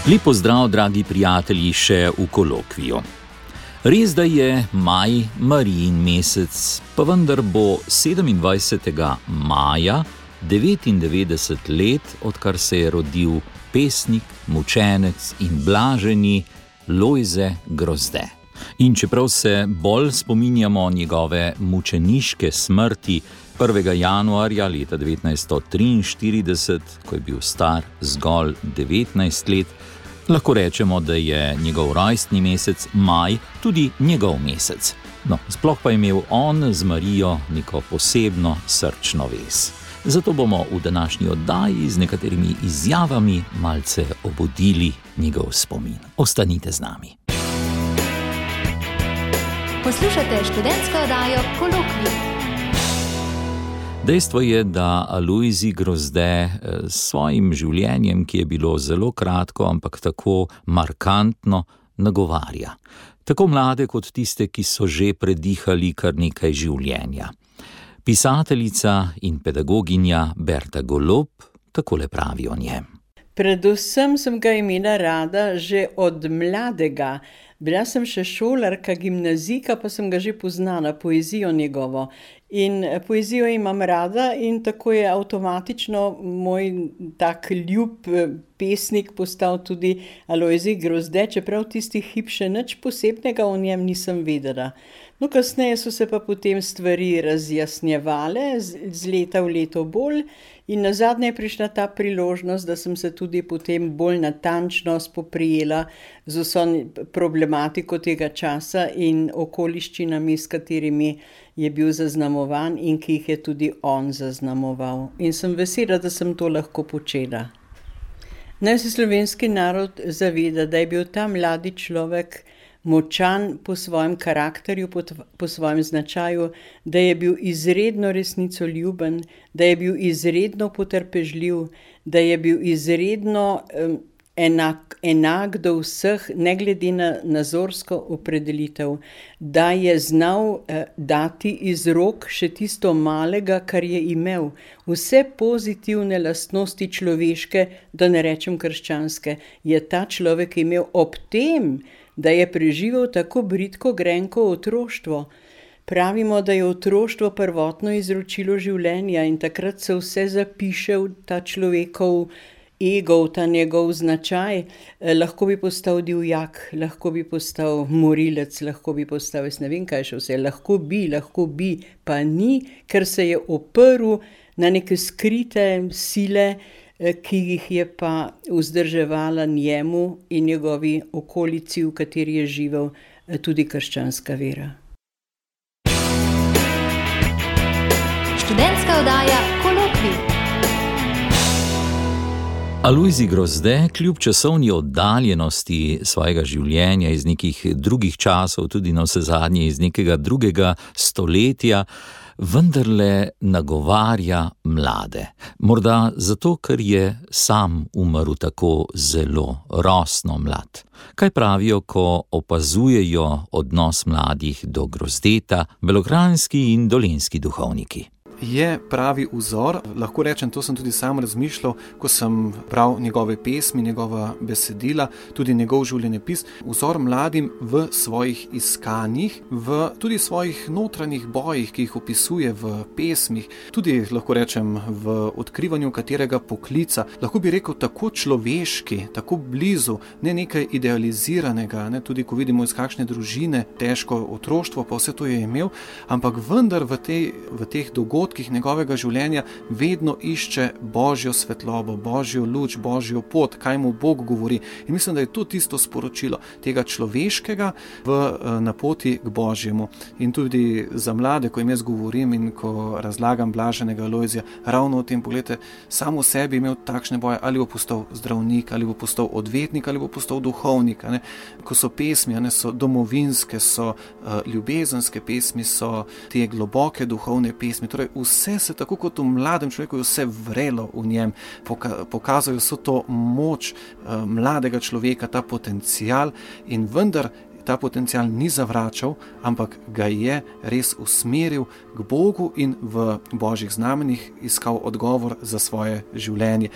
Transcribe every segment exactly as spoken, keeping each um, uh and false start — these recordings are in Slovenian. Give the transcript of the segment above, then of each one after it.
Lep pozdrav, dragi prijatelji, še v kolokviju. Res, da je maj Marijin mesec, pa vendar bo sedemindvajsetega maja devetindevetdeset let, odkar se je rodil pesnik, mučenec in blaženi Lojze Grozde. In čeprav se bolj spominjamo njegove mučeniške smrti prvega januarja leta devetnajststo triinštirideset, ko je bil star zgolj devetnajst let, lahko rečemo, da je njegov rojstni mesec maj tudi njegov mesec. No, sploh pa je imel on z Marijo neko posebno srčno vez. Zato bomo v današnji oddaji z nekaterimi izjavami malce obudili njegov spomin. Ostanite z nami. Poslušate študentsko oddajo Kolokvij. Dejstvo je, da Lojzi Grozde s svojim življenjem, ki je bilo zelo kratko, ampak tako markantno, nagovarja. Tako mlade kot tiste, ki so že predihali kar nekaj življenja. Pisateljica in pedagoginja Berta Golob takole pravi o njem. Predvsem sem ga imela rada že od mladega. Bila sem še šolarka, gimnazijka, pa sem ga že poznala, poezijo njegovo. In poezijo imam rada in tako je avtomatično moj tak ljub pesnik postal tudi Lojze Grozde, čeprav tisti hip še nič posebnega o njem nisem vedela. No, kasneje so se pa potem stvari razjasnjevale, z leta v leto bolj, in nazadnje je prišla ta priložnost, da sem se tudi potem bolj natančno spoprijela z vso problematiko tega časa in okoliščinami, s katerimi je bil zaznamovan in ki jih je tudi on zaznamoval. In sem vesela, da sem to lahko počela. Naj se slovenski narod zaveda, da je bil ta mladi človek močan po svojem karakterju, po, po svojem značaju, da je bil izredno resnicoljuben, da je bil izredno potrpežljiv, da je bil izredno um, enak, enak do vseh, ne glede na nazorsko opredelitev, da je znal uh, dati iz rok še tisto malega, kar je imel. Vse pozitivne lastnosti človeške, da ne rečem krščanske, je ta človek imel ob tem, da je preživel tako bridko grenko otroštvo. Pravimo, da je otroštvo prvotno izročilo življenja in takrat se vse zapiše v ta človekov ego, v ta njegov značaj. Eh, lahko bi postal divjak, lahko bi postal morilec, lahko bi postal, jaz ne vem kaj še vse, lahko bi, lahko bi, pa ni, ker se je oprl na neke skrite sile, ki jih je pa vzdrževala njemu in njegovi okolici, v kateri je živel, tudi krščanska vera. Študentska oddaja Kolokvij. Lojze Grozde, kljub časovni oddaljenosti svojega življenja iz nekih drugih časov, tudi navsezadnje iz nekega drugega stoletja, vendarle nagovarja mlade. Morda zato, ker je sam umrl tako zelo rosno mlad. Kaj pravijo, ko opazujejo odnos mladih do Grozdeta belokranjski in dolenjski duhovniki? Je pravi vzor, lahko rečem, to sem tudi sam razmišljal, ko sem bral njegove pesmi, njegova besedila, tudi njegov življenjepis, vzor mladim v svojih iskanjih, v tudi svojih notranjih bojih, ki jih opisuje v pesmih, tudi lahko rečem v odkrivanju katerega poklica, lahko bi rekel tako človeški, tako blizu, ne nekaj idealiziranega, ne, tudi ko vidimo iz kakšne družine, težko otroštvo, pa vse to je imel, ampak vendar v, tej, v teh dogodkih njegovega življenja vedno išče Božjo svetlobo, Božjo luč, Božjo pot, kaj mu Bog govori. In mislim, da je to tisto sporočilo tega človeškega v, na poti k Božjemu. In tudi za mlade, ko jim jaz govorim in ko razlagam blaženega Lojzija, ravno o tem, pogledajte, sam v sebi imel takšne boje, ali bo postal zdravnik, ali bo postal odvetnik, ali bo postal duhovnik. Ne? Ko so pesmi, ne, so domovinske, so uh, ljubezenske pesmi, so te globoke duhovne pesmi, torej vse se tako kot v mladem človeku je vse vrelo v njem, Poka- pokazajo so to moč uh, mladega človeka, ta potencial in vendar ta potencial ni zavračal, ampak ga je res usmeril k Bogu in v božjih znamenjih iskal odgovor za svoje življenje.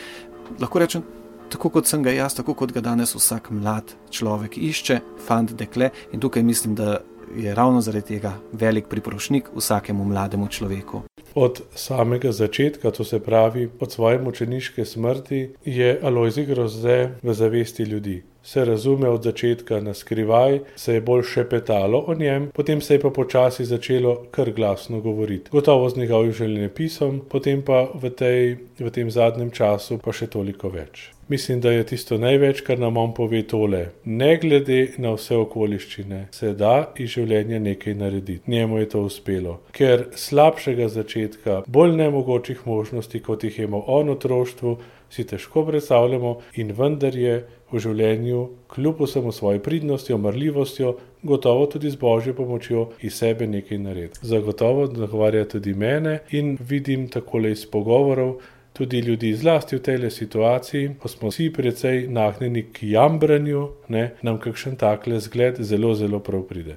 Lahko rečem, tako kot sem ga jaz, tako kot ga danes vsak mlad človek išče, fant, dekle, in tukaj mislim, da je ravno zaradi tega velik priprošnjik vsakemu mlademu človeku. Od samega začetka, to se pravi od svoje mučeniške smrti, je Alojzij Grozde v zavesti ljudi. Se razume od začetka na skrivaj, se je bolj šepetalo o njem, potem se je pa počasi začelo kar glasno govoriti. Gotovo z njegovim življenjepisom, potem pa v, tej, v tem zadnjem času pa še toliko več. Mislim, da je tisto največ, kar nam on pove tole. Ne glede na vse okoliščine, se da iz življenja nekaj narediti. Njemu je to uspelo. Ker slabšega začetka, bolj nemogočih možnosti, kot jih je imel on v otroštvu, si težko predstavljamo in vendar je v življenju, kljub vsemu svoji pridnostjo, marljivostjo, gotovo tudi z božjo pomočjo iz sebe nekaj narediti. Zagotovo nagovarja tudi mene in vidim takole iz pogovorov, tudi ljudi zlasti v tej situaciji, ko smo vsi precej nagnjeni k jambranju, ne, nam kakšen takle zgled zelo, zelo prav pride.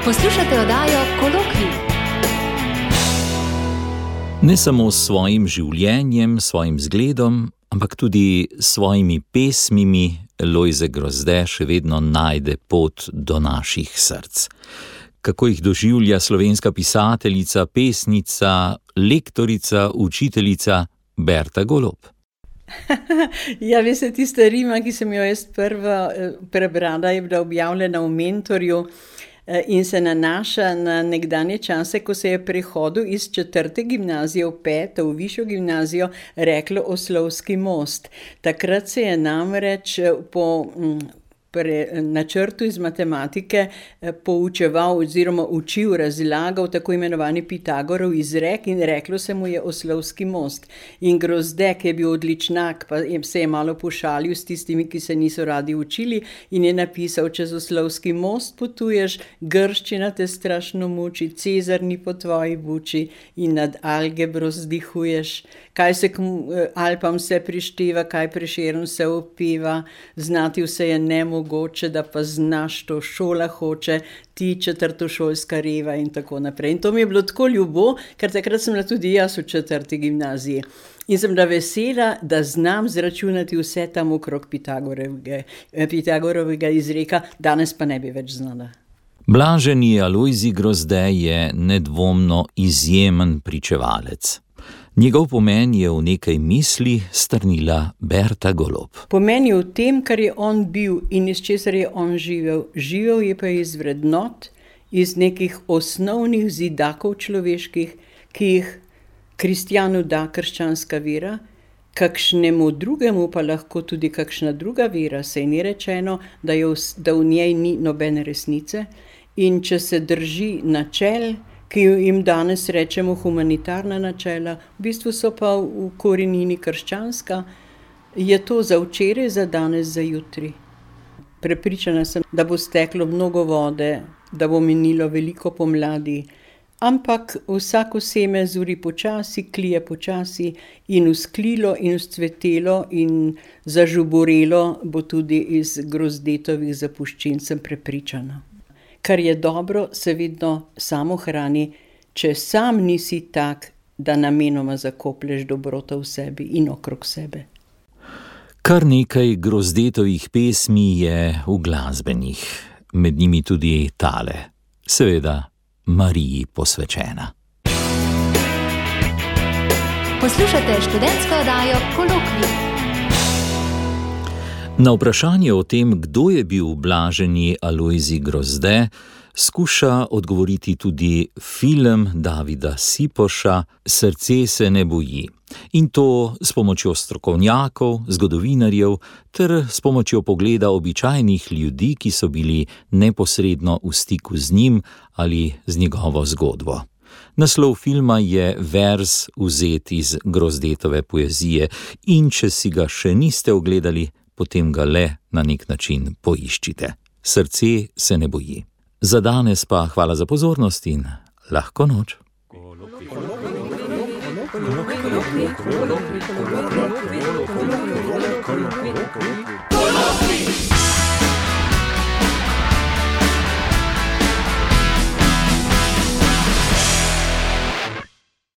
Poslušate oddajo Kolokvij. Ne samo s svojim življenjem, svojim zgledom, ampak tudi s svojimi pesmimi Lojze Grozde še vedno najde pot do naših src. Kako jih doživlja slovenska pisateljica, pesnica, lektorica, učiteljica Berta Golob? Ja, veste, tista rima, ki sem jo jaz prva prebrala, je bila objavljena v Mentorju in se nanaša na nekdanje čase, ko se je prehodu iz četrte gimnazije v peto, v višjo gimnazijo, reklo Oslovski most. Takrat se je namreč po Pre, načrtu iz matematike poučeval oziroma učil, razlagal tako imenovani Pitagorov izrek in reklo se mu je Oslovski most. In Grozde, ki je bil odličnak, pa se je malo pošalil s tistimi, ki se niso radi učili in je napisal: čez Oslovski most potuješ, grščina te strašno muči, Cezar ni po tvoji buči in nad algebro zdihuješ. Kaj se k Alpam vse prišteva, kaj Prešeren se opeva, znati vse je nemogoče, da pa znaš, to šola hoče, ti četrtošolska reva in tako naprej. In to mi je bilo tako ljubo, ker takrat sem bila tudi jaz v četrti gimnaziji. In sem bila vesela, da znam zračunati vse tam okrog Pitagorovega, Pitagorovega izreka, danes pa ne bi več znala. Blaženi Alojzij Grozde je nedvomno izjemen pričevalec. Njegov pomen je v nekaj misli strnila Berta Golob. Pomen je v tem, kar je on bil in iz česar je on živel. Živel je pa iz vrednot, iz nekih osnovnih zidakov človeških, ki jih kristjanu da krščanska vera, kakšnemu drugemu pa lahko tudi kakšna druga vera, saj ni rečeno, da, je v, da v njej ni nobene resnice. In če se drži načel, ki jim danes rečemo humanitarna načela, v bistvu so pa v korenini krščanska, je to za včeraj, za danes, za jutri. Prepričana sem, da bo steklo mnogo vode, da bo minilo veliko pomladi, ampak vsako seme zuri počasi, klije počasi in vzklilo in vzcvetelo in zažuborelo bo tudi iz Grozdetovih zapuščin, sem prepričana. Kar je dobro, se vedno samo hrani, če sam nisi tak, da namenoma zakoplješ dobroto v sebi in okrog sebe. Kar nekaj Grozdetovih pesmi je uglasbenih, med njimi tudi tale, seveda Mariji posvečena. Poslušate študentsko oddajo Kolokvij. Na vprašanje o tem, kdo je bil blaženi Alojzij Grozde, skuša odgovoriti tudi film Davida Sipoša Srce se ne boji. In to s pomočjo strokovnjakov, zgodovinarjev ter s pomočjo pogleda običajnih ljudi, ki so bili neposredno v stiku z njim ali z njegovo zgodbo. Naslov filma je verz vzet iz Grozdetove poezije in če si ga še niste ogledali, potem ga le na nek način poiščite. Srce se ne boji. Za danes pa hvala za pozornost in lahko noč. Kolokvij.